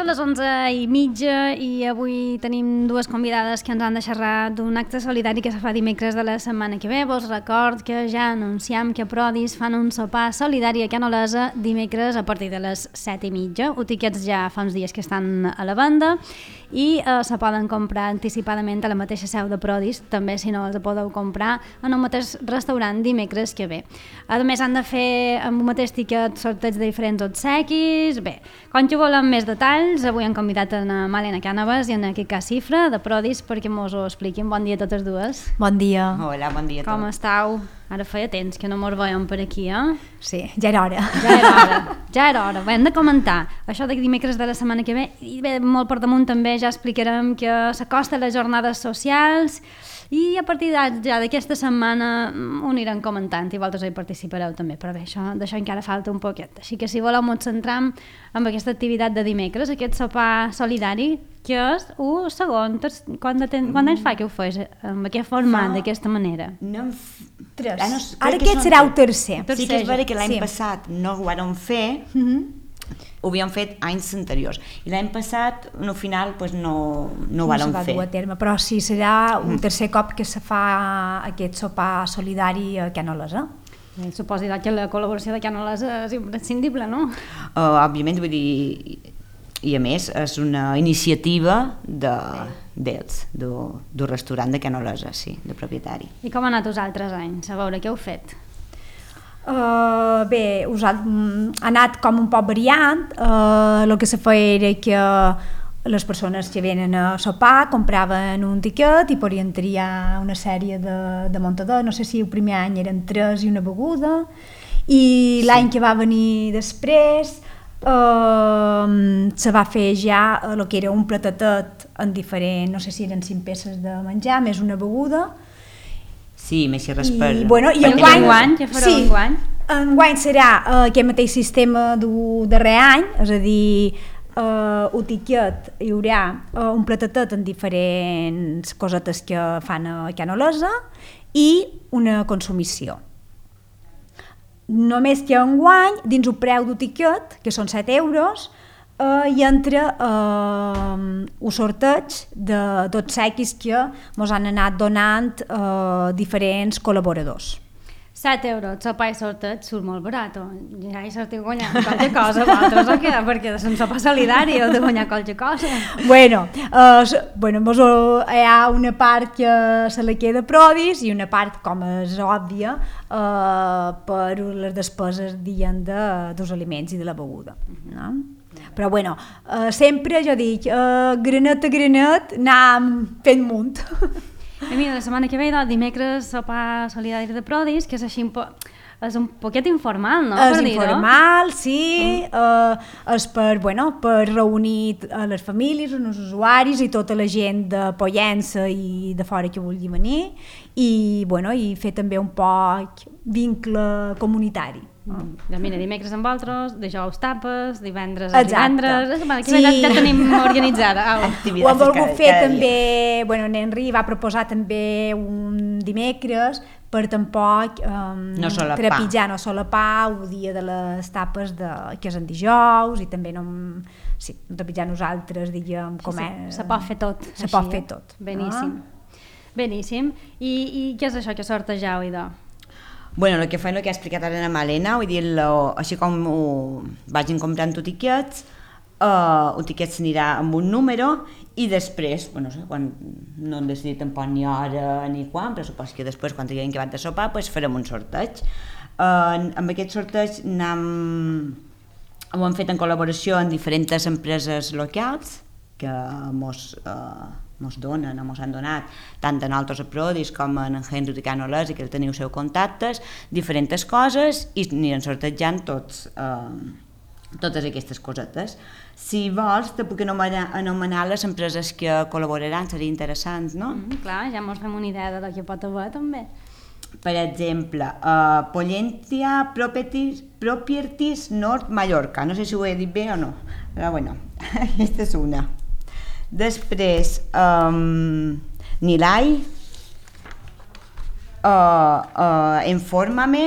Són les 11:30 i avui tenim dues convidades que ens han de xerrar d'un acte solidari que se fa dimecres de la setmana que ve. Vos record que ja anunciam que Prodis fan un sopar solidari a Can Olesa dimecres a partir de les 7:30. Els tiquets ja fa uns dies que estan a la venda i se poden comprar anticipadament a la mateixa seu de Prodis, també si no els podeu comprar en el mateix restaurant dimecres que ve. A més han de fer amb un mateix tiquet sorteig de diferents obsequis. Bé, com que volem més detalls, avui hem convidat a Malena Cànovas i a Quica Cifra de Prodis perquè mos ho expliquin. Bon dia a totes dues. Bon dia. Hola, bon dia a tots. Com estàu? Ara feia temps que no mos veiem per aquí, eh? Sí, ja era hora. Ja era hora. Bé, hem de comentar això de dimecres de la setmana que ve i bé, molt per damunt també ja explicarem que s'acosta les jornades socials i a partir ja d'aquesta setmana ho anirem comentant i vosaltres hi participareu també, però bé, d'això encara falta un poquet. Així que si voleu ens centram en aquesta activitat de dimecres, aquest sopar solidari, que és un segon, quant anys fa que ho fes amb aquest format, d'aquesta manera? Tres. Ara aquest serà el tercer. Sí que és vera que l'any passat no ho vàrem fer, ho havíem fet anys anteriors i l'any passat al final no ho vàrem fer. Dur a terme, però sí, serà un tercer cop que se fa aquest sopar solidari a Can Olesa. Suposo que la col·laboració de Can Olesa és imprescindible, no? Òbviament, vull dir, i a més és una iniciativa d'ells, del restaurant de Can Olesa, sí, de propietari. I com ha anat els altres anys? A veure, què heu fet? Bé, ha anat com un poc variant. El que se feia era que les persones que venen a sopar compraven un tiquet i podien triar una sèrie de muntadors. No sé si el primer any eren 3 i una beguda, i l'any que va venir després se va fer ja el que era un platatet en diferent, no sé si eren 5 peces de menjar més una beguda. Sí, més si res per... I enguany, enguany serà aquest mateix sistema del darrer any, és a dir, el tiquet hi haurà un platatet en diferents cosetes que fan a Can Olesa i una consumició. Només que enguany, dins el preu del tiquet, que són 7 euros, hi entra un sorteig d'obsequis que ens han anat donant diferents col·laboradors. 7 euros, sopar i sorteig surt molt barat. Ja hi sortiu guanyant qualque cosa, vosaltres o què? Perquè és un sopar solidari heu de guanyar qualque cosa. Bueno, hi ha una part que se la queda Prodis i una part, com és òbvia, per les despeses dels aliments i de la beguda. No? Però bueno, sempre jo dic, granet a granet anem fent munt. I mira, la setmana que ve, dimecres, sopar solidari de Prodis, que és així és un poquet informal, no? És informal, sí, és per reunir les famílies, els usuaris i tota la gent de Pollença i de fora que vulgui venir i fer també un poc vincle comunitari. Mira, dimecres amb vosaltres, dijous tapes, divendres a divendres, ja tenim organitzada. Ho hem volgut fer també, l'Henri va proposar també un dimecres per tampoc trepitjar, no solapar el dia de les tapes que és en dijous i també no trepitjar nosaltres, diguem, com és. Se pot fer tot. Se pot fer tot. Beníssim. I què és això que sortegeu, idò? Bueno, el que fa el que ha explicat ara la Malena, vull dir, així com vagin comprant tiquets, el tiquet s'anirà amb un número i després, no sé, quan no hem decidit tampoc ni hora ni quan, però suposo que després, quan tinguem acabat de sopar, farem un sorteig. Amb aquest sorteig ho hem fet en col·laboració amb diferents empreses locals que mos han donat tant a nosaltres a Prodis com a en Henry de Can Olesa, que teniu seus contactes, diferents coses i anirem sortejant tots totes aquestes cosetes. Si vols, te puc anomenar les empreses que col·laboraran, seria interessant, no? Clar, ja mos fem una idea de què pot haver, també. Per exemple, Pollentia Properties Nord Mallorca. No sé si ho he dit bé o no, però bueno, aquesta és una. Després, Nilai, Infórmame,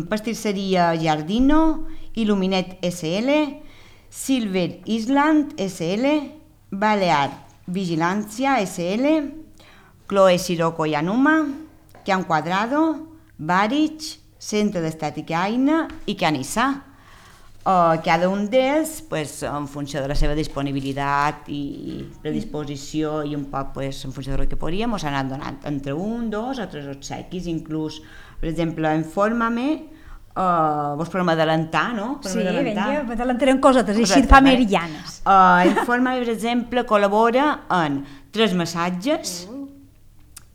Pastisseria Giardino, Illuminet SL, Silver Island SL, Balear Vigilància SL, Chloe Sirocco i Anuma, Can Quadrado, Barich, Centre d'Estètica Aina i Canissa. Cada un d'ells, en funció de la seva disponibilitat i predisposició i un poc en funció del que podríem, s'han anat donant entre 1, 2 o 3 obsequis, inclús, per exemple, Infórmame, vos podem adelantar, no? Sí, vinga, adelantarem cosetes, així et fa meridianes. Infórmame, per exemple, col·labora en 3 massatges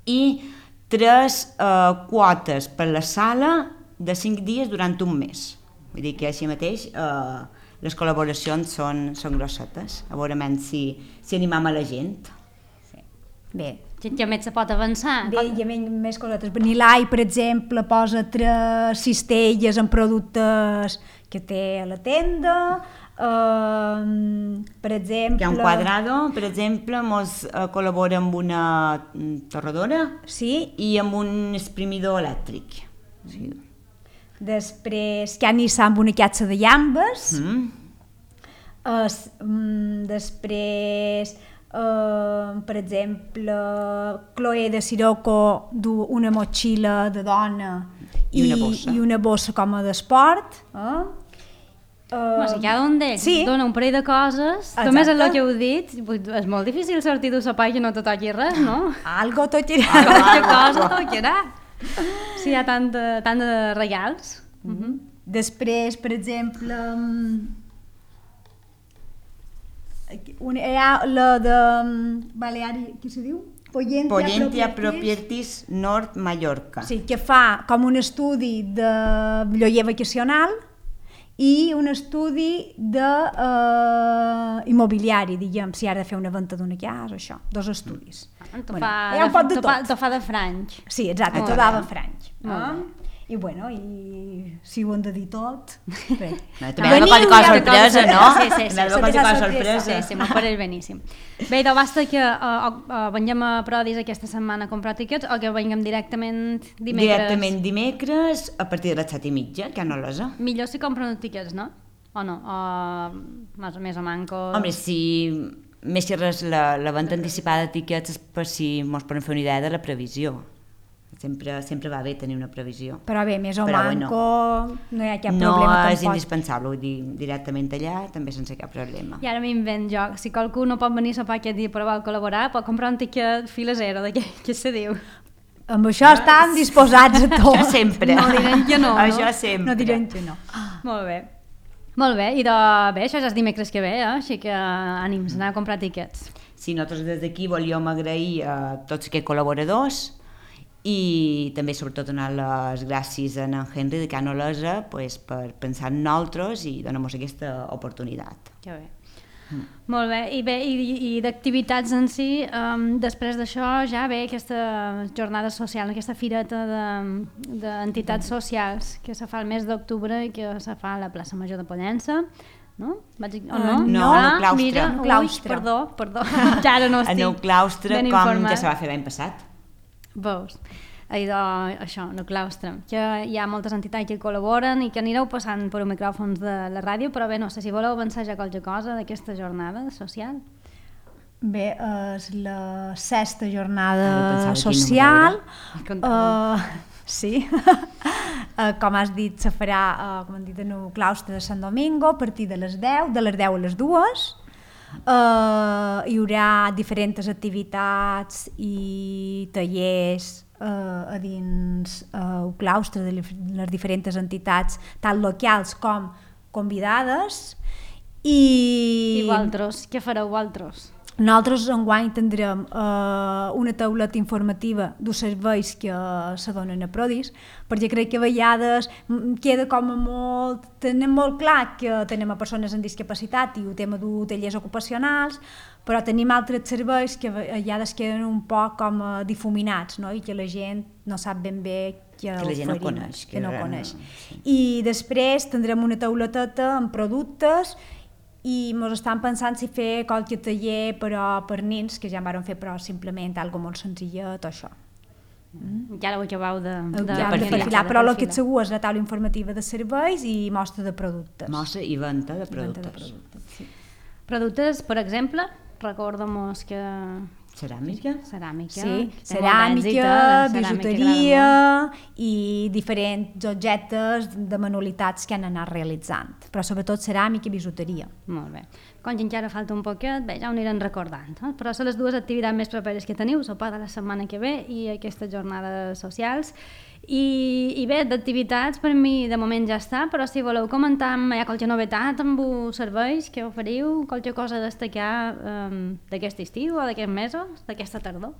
i 3 quotes per la sala de 5 dies durant un mes. Vull dir que així mateix les col·laboracions són grossetes, a veure si animam a la gent. Sí. Bé. Ja més se pot avançar. Bé, hi ha més cosetes. Nilai, per exemple, posa 3 cistelles amb productes que té a la tenda. Per exemple... Can Quadrado, per exemple, mos col·labora amb una torradora, sí, i amb un exprimidor elèctric. Sí. Després, Canissa amb una catxa de llambes. Després, per exemple, Chloe de Sirocco du una motxilla de dona i una bossa com a d'esport. Si cada un d'ells dona un parell de coses, també és el que heu dit, és molt difícil sortir d'un sopar i que no te toqui res, no? Algo toquirà. Qualque cosa toquirà. Si hi ha tant de regals. Després, per exemple, hi ha la de Baleari, què se diu? Pollentia Properties Nord Mallorca. Sí, que fa com un estudi de lloguer vacacional i un estudi immobiliari, diguem, si ha de fer una venda d'una casa, això, 2 estudis. T'ho fa de franc. Sí, exacte, t'ho dava franc. I bueno, i si ho hem de dir tot... També ha d'haver qualque cosa sorpresa, no? Sí, m'ho pareix beníssim. Bé, idò, basta que venguem a Prodis aquesta setmana a comprar tiquets o que venguem directament dimecres? Directament dimecres a partir de les 7:30, que no l'esa. Millor si compren tiquets, no? O no? O més o manco... Home, si més que res la venda anticipada de tiquets és per si mos podem fer una idea de la previsió. Sempre va bé tenir una previsió. Però bé, més o manco no hi ha cap problema tampoc. No és indispensable, vull dir, directament allà també sense cap problema. I ara m'invent jo, si qualcú no pot venir a sopar aquest dia però vol col·laborar, pot comprar un tiquet fila zero, què se diu? Amb això estan disposats a tot. Això sempre. No diran que no, no? Això sempre. No diran que no. Molt bé. Molt bé, i bé, això ja és dimecres que ve, així que ànims, anar a comprar tiquets. Sí, nosaltres des d'aquí volíem agrair a tots aquests col·laboradors i també sobretot donar les gràcies a en Henry de Can Olesa per pensar en nosaltres i donar-nos aquesta oportunitat. Que bé. Molt bé, i d'activitats en si, després d'això ja ve aquesta jornada social, aquesta fireta d'entitats socials que se fa el mes d'octubre i que se fa a la plaça Major de Pollença, no? No, al claustre. Mira, perdó, ja ara no estic ben informada. En el claustre, com ja se va fer l'any passat. Veus? Això, en el claustre, que hi ha moltes entitats que col·laboren i que anireu passant per micròfons de la ràdio, però bé, no sé si voleu avançar ja qualque cosa d'aquesta jornada social. Bé, és la 6ª jornada social. Sí. Com has dit, se farà, com han dit, en el claustre de Sant Domingo a partir de les 10 a les 2. Hi haurà diferents activitats i tallers a dins el claustre de les diferents entitats, tant locals com convidades. I vosaltres, què fareu vosaltres? Nosaltres enguany tindrem una tauleta informativa dels serveis que se donen a Prodis, perquè crec que a vegades queda com a molt... Tenim molt clar que tenim a persones amb discapacitat i el tema de tallers ocupacionals, però tenim altres serveis que a vegades queden un poc com difuminats, no? I que la gent no sap ben bé que la gent no coneix. Que no coneix. Sí. I després tindrem una tauleteta amb productes i ens estan pensant si fer qualque taller però per nens, que ja en vam fer, però simplement algo molt senzillet o això. Ja ho acabeu de perfilar, però el que et segur és la taula informativa de serveis i mostra de productes. Mostra i venda de productes. Sí. Productes, per exemple, recorda'm-nos que... Ceràmica? Ceràmica. Sí, ceràmica, bijuteria i diferents objectes de manualitats que han anat realitzant, però sobretot ceràmica i bijuteria. Molt bé. Com que encara falta un poquet, bé, ja ho anirem recordant, però són les dues activitats més properes que teniu, sopar de la setmana que ve i aquestes jornades socials. I bé, d'activitats per mi de moment ja està, però si voleu comentar hi ha qualque novetat amb els serveis que oferiu, qualque cosa a destacar d'aquest estiu o d'aquests mesos, d'aquesta tardor?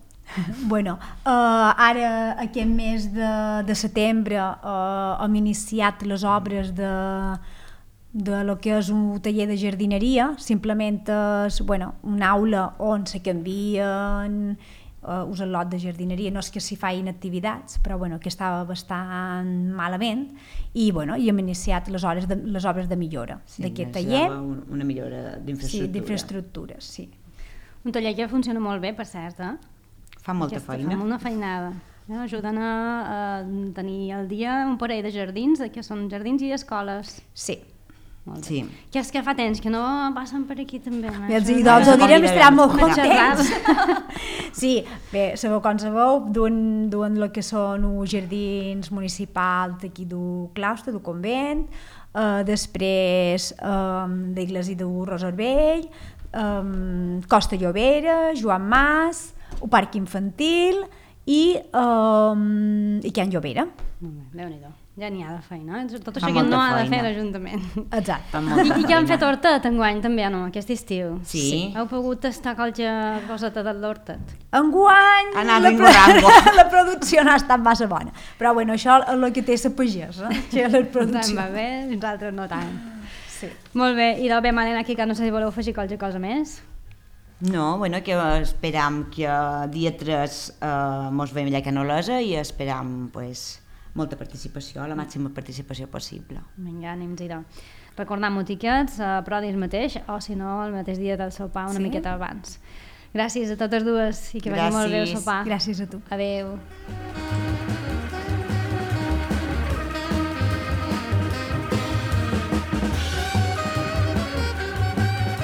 Bueno, ara aquest mes de setembre hem iniciat les obres de lo que és un taller de jardineria, simplement és una aula on se canvien us el lot de jardineria, no és que s'hi facin activitats, però que estava bastant malament i hem iniciat les obres de millora d'aquest taller. Una millora d'infraestructura. Sí, d'infraestructures, sí. Un taller que funciona molt bé, per cert, Fa molta feina. Fa molta feinada. Ajuden a tenir al dia un parell de jardins, que són jardins i escoles. Sí. Sí. Que és que fa temps que no passen per aquí també. Doncs ho direm, estaran molt contents. Sí, bé, sabeu com sabeu, duen el que són els jardins municipals d'aquí del claustre, del convent, després d'Iglesi de Roservell, Costa Llobera, Joan Mas, el Parc Infantil i Can Llobera. Déu-n'hi-do. Ja n'hi ha de feina, tot això que no ha de fer l'Ajuntament. Exacte. I que han fet hortet enguany també, no? Aquest estiu. Sí. Heu pogut tastar qualque coseta de l'hortet? Enguany la producció no ha estat massa bona, però això és el que té la pagesa, que la producció. Va bé, nosaltres no tant. Sí. Molt bé, i del bé, Malena, aquí que no sé si voleu afegir qualque cosa més. No, que esperam que dia 3 mos veiem allà a Canolesa i esperam, molta participació, la màxima participació possible. Vinga, anem-hi-hi. Recordem-ho tiquets a Prodis mateix o si no el mateix dia del sopar una miqueta abans. Gràcies a totes dues i que vagi molt bé el sopar. Gràcies a tu. Adéu.